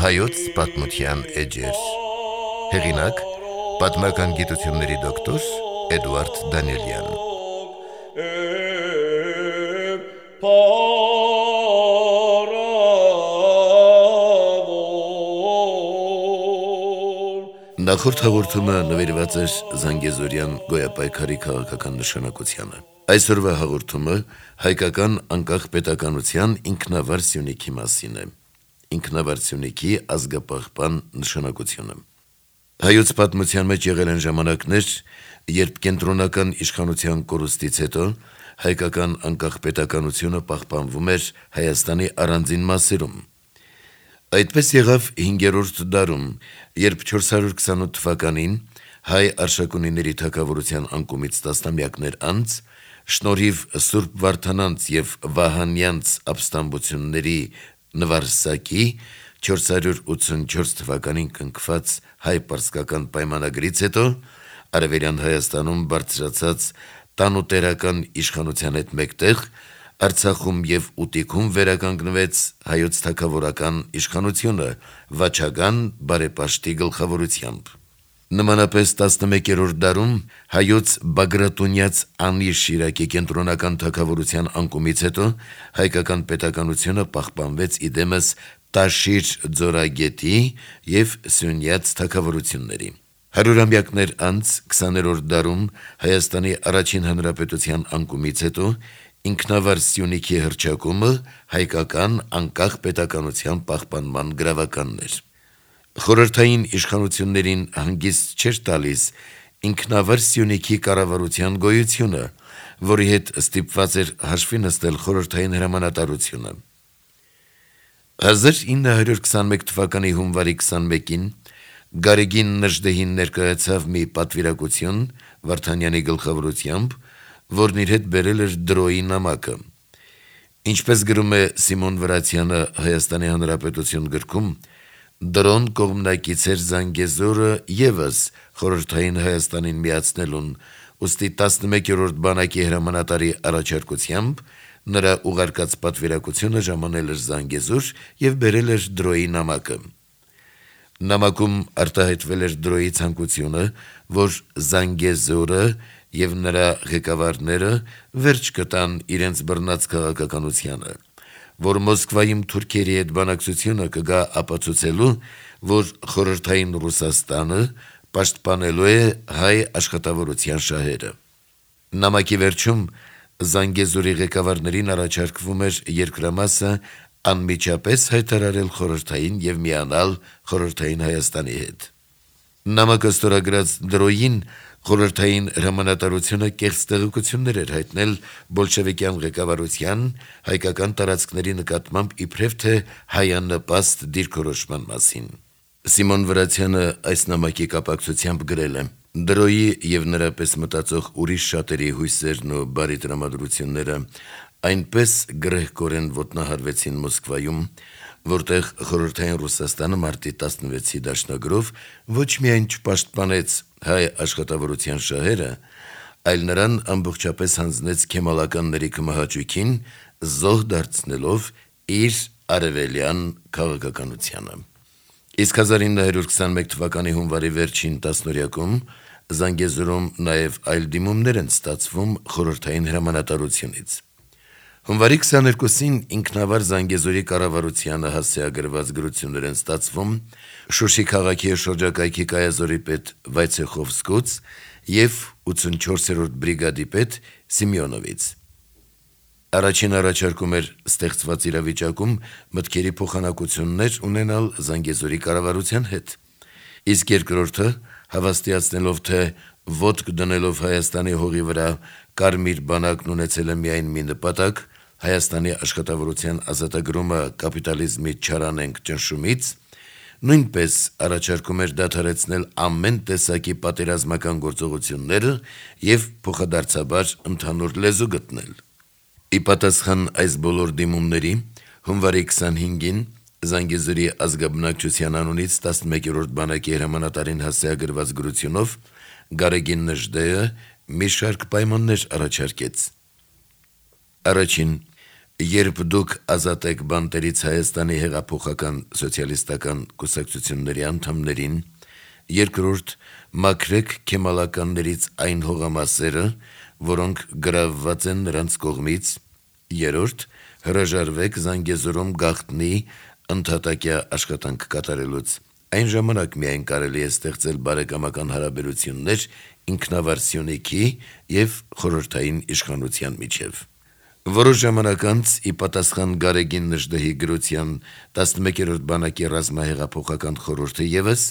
Հայոց պատմության էջեր։ Հեղինակ՝ պատմական գիտությունների դոկտոր Էդուարդ Դանիելյան։ Նախորդ հաղորդումը նվիրված էր Զանգեզուրյան գոյապայքարի քաղաքական նշանակությանը։ Այսօրվա հաղորդումը հայկական անկախ պետականության ինքնավար Սյունիքի մասին է։ Ինքնավար Սյունիքի ազգապահպան նշանակությունը։ Հայոց պատմության մեջ եղել են ժամանակներ, երբ կենտրոնական իշխանության կորուստից հետո հայկական անկախ պետականությունը պահպանվում էր Հայաստանի առանձին մասերում։ Այդպես եղավ 5-րդ դարում, երբ 428 թվականին հայ արշակունիների թագավորության անկումից տասնամյակներ անց, շնորհիվ Սուրբ Վարդանանց և Վահանյանց ապստամբությունների նվարսակի 484 թվականին կնքված հայ-պարսկական պայմանագրից հետո Արևելյան Հայաստանում բարձրացած տանուտերական իշխանության հետ մեկտեղ Արցախում և Ուտիքում վերականգնվեց հայոց թագավորական իշխանությունը Վաչագան բարեպաշտի գլխավորությամբ։ Նմանապես 11-րդ դարում հայոց Բագրատունյաց Անի Շիրակի կենտրոնական թագավորության անկումից հետո հայկական պետականությունը պահպանվեց իդեմս Տաշիր ձորագետի և Սյունյաց թագավորությունների։ Հարյուրամյակներ անց 20-րդ դարում Հայաստանի առաջին հանրապետության անկումից հետո ինքնավար Սյունիքի հռչակումը հայկական անկախ պետականության պահպանման գրավականն էր։ Խորհրդային իշխանություններին հանգիստ չէր տալիս ինքնավար Սյունիքի կառավարության գոյությունը, որի հետ ստիպված էր հաշվի նստել խորհրդային հրամանատարությունը։ 1921 թվականի հունվարի 21-ին Գարեգին Նժդեհին ներկայացավ մի պատվիրակություն Վարդանյանի գլխավորությամբ, որն իր հետ բերել էր դրոյի նամակը։ Ինչպես գրում է Սիմոն Վրացյանը Հայաստանի Հանրապետություն գրքում, դրոն կողմնակից էր Զանգեզուրը ևս խորհրդային Հայաստանին միացնելուն, ուստի 11-րդ բանակի հրամանատարի առաջարկությամբ նրա ուղարկած պատվիրակությունը ժամանել էր Զանգեզուր և բերել էր դրոյի նամակը։ Նամակում արտահայտվել էր դրոյի ցանկությունը, որ Զանգեզուրը և նրա ղեկավարները վերջ կտան իրենց բռնած քաղաքականությանը, որ Մոսկվայում թուրքերի հետ բանակցությունը կգա ապացուցելու, որ խորհրդային Ռուսաստանը պաշտպանելու է հայ աշխատավորության շահերը։ Նամակի վերջում Զանգեզուրի ղեկավարներին առաջարկվում էր երկրամասը անմիջապես հայտարարել խորհրդային և միանալ խորհրդային Հայաստանի հետ։ Նամակը ստորագրած դրոյին խորհրդային հրամանատարությունը կեղծ տեղեկություններ էր հայտնել բոլշևիկյան ղեկավարության հայկական տարածքների նկատմամբ իբրև թե հայանպաստ դիրքորոշման մասին։ Սիմոն Վրացյանը այս նամակի կապակցությամբ գրել է. «Դրոյի և նրա պես մտածող ուրիշ շատերի հույսերն ու բարի տրամադրությունները այնպես գրեհկորեն ոտնահարվեցին Մոսկվայում, որտեղ խորհրդային Ռուսաստանը մարտի 16-ի դաշնագրով ոչ միայն չպաշտպանեց հայ աշխատավորության շահերը, այլ նրան ամբողջապես հանձնեց քեմալականների կմահաճույքին, զոհ դարձնելով իր արևելյան քաղաքականությանը»։ Իսկ 1921 թվականի հունվարի վերջին տասնօրյակում Զանգեզուրում նաև այլ դիմումներ են ստացվում խորհրդային հրամանատարությունից։ Հունվարի 22-ին ինքնավար Զանգեզուրի կառավարությանը հասցեագրված գրություններ են ստացվում Շուշի քաղաքի շրջակայքի կայազորի պետ Վայցեխովսկուց և 84-րդ բրիգադի պետ Սիմեոնովից։ Առաջին առաջարկում էր ստեղծված իրավիճակում մտքերի փոխանակություններ ունենալ Զանգեզուրի կառավարության հետ, իսկ երկրորդը հավաստիացնելով, թե ոտք դնելով Հայաստանի հողի վրա Կարմիր բանակն ունեցել է միայն մի նպատակ՝ Հայաստանի աշխատավորության ազատագրումը կապիտալիզմի չարանենգ ճնշումից, նույնպես առաջարկում էր դադարեցնել ամեն տեսակի պատերազմական գործողությունները և փոխադարձաբար ընդհանուր լեզու գտնել։ Ի պատասխան այս բոլոր դիմումների, հունվարի 25-ին Զանգեզուրի ազգաբնակչության անունից 11-րդ բանակի հրամանատարին հասցեագրված գրությունով Գարեգին Նժդեհը մի շարք պայմաններ առաջարկեց. Առաջին, երբ դուք ազատ եք բանտերից Հայաստանի հեղափոխական սոցիալիստական կուսակցությունների անդամներին, երկրորդ, մաքրեք քեմալականներից այն հողամասերը, որոնք գրավված են նրանց կողմից, երրորդ, հրաժարվեք Զանգեզուրում գաղտնի ընդհատակյա աշխատանք կատարելուց, այն ժամանակ միայն կարելի է ստեղծել բարեկամական հարաբերություններ ինքնավար Սյունիքի և խորհրդային իշխանության միջև։ Որոշ ժամանակ անց, ի պատասխան Գարեգին Նժդեհի գրության 11-րդ բանակի ռազմահեղափոխական խորհուրդը ևս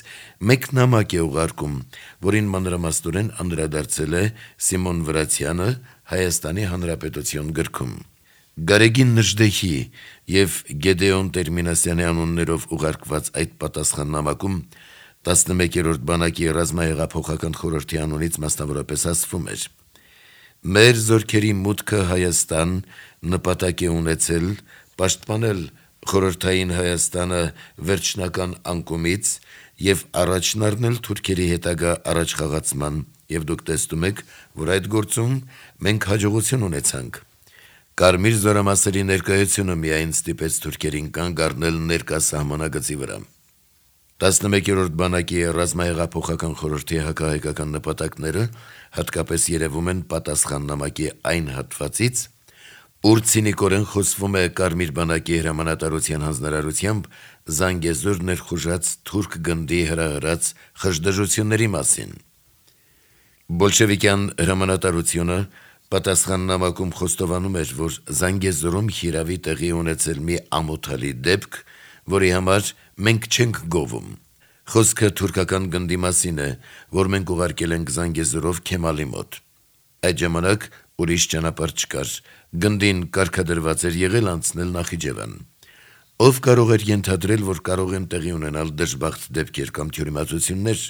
մեկ նամակ է ուղարկում, որին մանրամասնորեն անդրադարձել է Սիմոն Վրացյանը Հայաստանի Հանրապետություն գրքում։ Գարեգին Նժդեհի և Գեդեոն Տերմինասյանի անուններով ուղարկված այդ պատասխան նամակում 11-րդ բանակի ռազմահեղափոխական խորհրդի անունից մասնավորապես ասվում էր. «Մեր զորքերի մուտքը Հայաստան նպատակ է ունեցել պաշտպանել խորհրդային Հայաստանը վերջնական անկումից և առաջն առնել թուրքերի հետագա առաջխաղացման, և դուք տեսնում եք, որ այդ գործում մենք հաջողություն ունեցանք։ Կարմիր զորամասերի ներկայությունը միայն ստիպեց թուրքերին կանգ առնել ներկա սահմանագծի վրա»։ 11-րդ բանակի ռազմահեղափոխական խորհրդի հակահայկական նպատակները հատկապես երևում են պատասխան նամակի այն հատվածից, ուր ցինիկորեն խոսվում է Կարմիր բանակի հրամանատարության հանձնարարությամբ Զանգեզուր ներխուժած թուրք գնդի հրահրած խժդժությունների մասին։ Բոլշևիկյան հրամանատարությունը պատասխան նամակում խոստովանում էր, որ Զանգեզուրում հիրավի տեղի ունեցել մի ամոթալի դեպք, որի համար մենք չենք գովում։ Խոսքը թուրքական գնդի մասին է, որ մենք ուղարկել ենք Զանգեզուրով Քեմալի մոտ։ Այդ ժամանակ ուրիշ ճանապարհ չկար, գնդին կարգադրված էր եղել անցնել Նախիջևան։ Ով կարող էր ենթադրել, որ կարող են տեղի ունենալ դժբախտ դեպքեր կամ թյուրիմացություններ,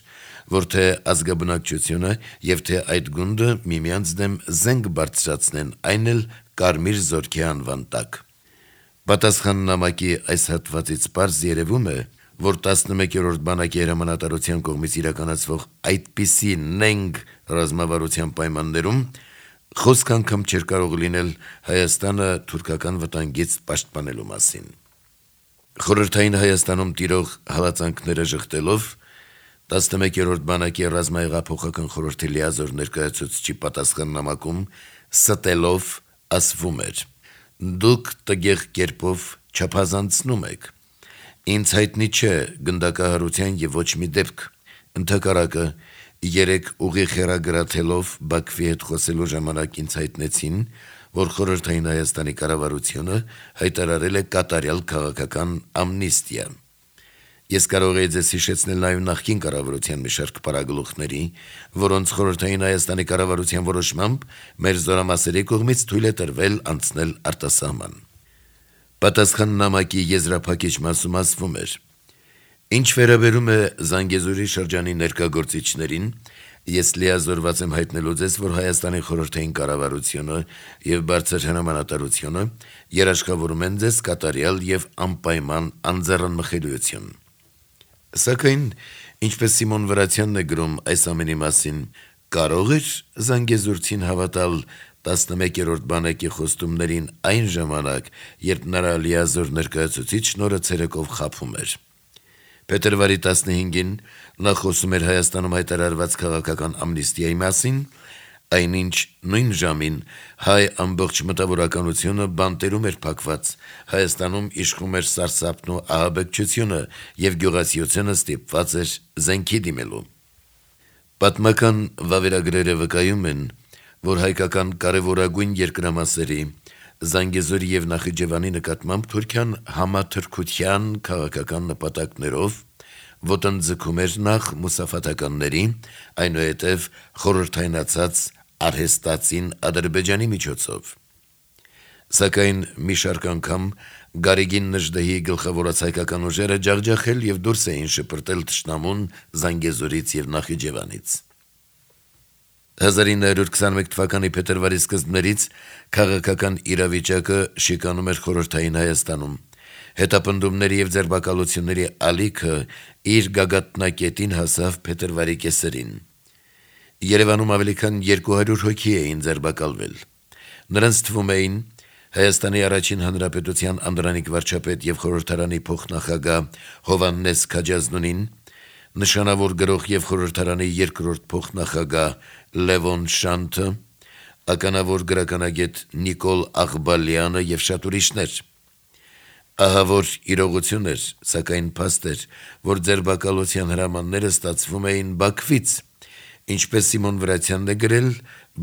որ թե ազգաբնակչությունը և թե այդ գունդը միմյանց դեմ զենք բարձրացնեն, այն էլ Կարմիր զորքի անվան տակ։ Պատասխան նամակի այս հատվածից պարզ երևում է, որ 11-րդ բանակի հրամանատարության կողմից իրականացվող այդպիսի նենգ ռազմավարության պայմաններում խոսք անգամ չէր կարող լինել Հայաստանը թուրքական վտանգից պաշտպանելու մասին։ Խորհրդային Հայաստանում տիրող հալածանքները ժխտելով 11-րդ բանակի ռազմահեղափոխական խորհրդի լիազոր ներկայացուցչի պատասխան նամակում ստելով ասվում էր. «Դուք տգեղ կերպով չափազանցնում եք։ Ինձ հայտնի չէ գնդակահարության և ոչ մի դեպք։ Ընդհակառակը, երեկ ուղիղ հեռագրաթելով Բաքվի հետ խոսելու ժամանակ ինձ հայտնեցին, որ Խորհրդային Հայաստանի կառավարությունը հայտարարել է կատարյալ քաղաքական ամնիստիա։ Ես կարող էի ձեզ հիշեցնել նաև նախկին կառավարության մի շարք պարագլուխների, որոնց Խորհրդային Հայաստանի կառավարության որոշմամբ մեր զորամասերի կողմից թույլ է տրվել անցնել արտասահման»։ Պատասխան նամակի եզրափակիչ մասում ասվում էր. «Ինչ վերաբերում է Զանգեզուրի շրջանի ներկա գործիչներին, ես լիազորված եմ հայտնելու ձեզ, որ Հայաստանի խորհրդային կառավարությունը և բարձր հրամանատարությունը երաշխավորում են ձեզ կատարյալ և անպայման անձեռնմխելիություն։ Սակայն, ինչպես Սիմոն Վրացյանն է գրում այս ամենի մասին, կարո՞ղ էր զանգեզուրցին հավատալ 11-րդ բանակի խոստումներին այն ժամանակ, երբ նրա լիազոր ներկայացուցիչն օրը ցերեկով խաբում էր։ Փետրվարի 15-ին նա խոսում էր Հայաստանում հայտարարված քաղաքական ամնիստիայի մասին, այնինչ նույն ժամին հայ ամբողջ մտավորականությունը բանտերում էր փակված, Հայաստանում իշխում էր սարսափն ու ահաբեկչությունը և գյուղացիությունը ստիպված էր զենքի դիմելու։ Պատմական վավերագրերը վկայում են, որ հայկական կարևորագույն երկրամասերի Զանգեզուրի և Նախիջևանի նկատմամբ Թուրքիան համաթրքության քաղաքական նպատակներով ոտնձգում էր նախ մուսաֆաթականների, այնուհետև խորհրդայնացած արհեստածին Ադրբեջանի միջոցով։ Սակայն մի շարք անգամ Գարեգին Նժդեհի գլխավորած հայկական ուժերը ջախջախել և դուրս էին շպրտել թշնամուն Զանգեզուրից և Նախիջևանից։ 1921 թվականի փետրվարի սկզբներից քաղաքական իրավիճակը շիկանում էր Խորհրդային Հայաստանում։ Հետապնդումների և ձերբակալությունների ալիքը իր գագաթնակետին հասավ փետրվարի կեսերին։ Երևանում ավելի քան 200 հոգի էին ձերբակալվել։ Նրանց թվում էին Հայաստանի առաջին հանրապետության անդրանիկ վարչապետ եւ խորհրդարանի փոխնախագահ Հովհաննես Քաջազնունին, նշանավոր գրող եւ խորհրդարանի երկրորդ փոխնախագահ Լևոն Շանթը, ականավոր գրականագետ Նիկոլ Աղբալյանը եւ շատ ուրիշներ։ Ահա որ իրողություն էր, սակայն փաստ էր, որ ձերբակալության հրամանները ստացվում էին Բաքվից, ինչպես Սիմոն Վրացյանն է գրել,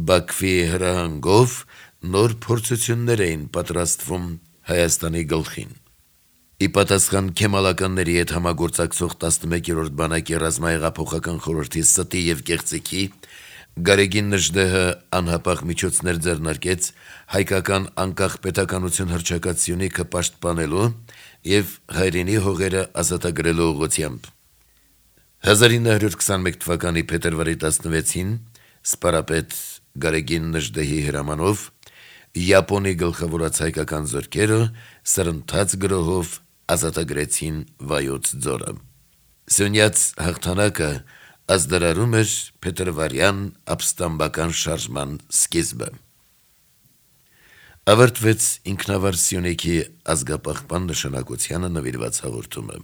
Բաքվի հրահանգով նոր փորձություններ էին պատրաստվում Հայաստանի գլխին։ Ի պատասխան քեմալականների հետ համագործակցող 11-րդ բանակի ռազմահեղափոխական խորհրդի ստի եւ կեղծիքի, Գարեգին Նժդեհը անհապաղ միջոցներ ձեռնարկեց հայկական անկախ պետականություն հռչակած Սյունիքը պաշտպանելու եւ հայրենի հողերը ազատագրելու ուղղությամբ։ 1921 թվականի փետրվարի 16-ին սպարապետ Գարեգին Նժդեհի հրամանով Յապոնի գլխավորած հայկական զորքերը սրընթաց գրոհով ազատագրեցին Վայոց ձորը։ Սյունյաց հաղթանակը ազդարարում էր փետրվարյան ապստամբական շարժման սկիզբը։ Ավարտվեց ինքնավար Սյունիքի ազգապահպան նշանակությանը նվիրված հաղորդումը։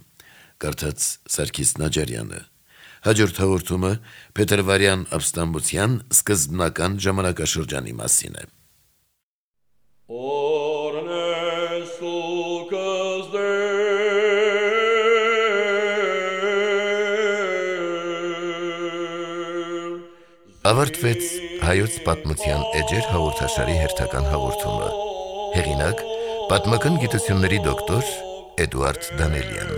Կարդաց Սարգիս Նաջարյանը։ Հաջորդ հաղորդումը փետրվարյան ապստամբության սկզբնական ժամանակաշրջանի մասին է։ Ավարտվեց հայոց պատմության էջեր հաղորդաշարի հերթական հաղորդումը։ Հեղինակ՝ պատմական գիտությունների դոկտոր Էդուարդ Դանելյան։